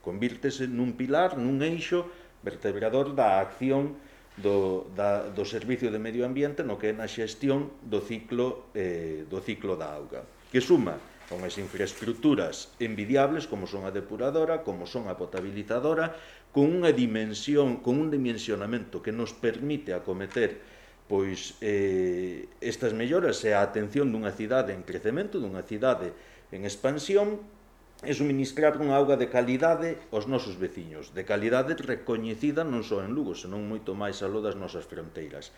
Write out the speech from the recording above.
convírtese nun pilar, nun eixo vertebrador da acción do Servicio de Medio Ambiente no que é na xestión do ciclo da auga, que suma a unhas infraestructuras envidiables como son a depuradora, como son a potabilizadora, con unha dimensión, con un dimensionamento que nos permite acometer pois estas melloras e a atención dunha cidade en crecemento, dunha cidade en expansión, e suministrar unha auga de calidade aos nosos veciños, de calidade recoñecida non só en Lugo, senón moito máis aló das nosas fronteiras.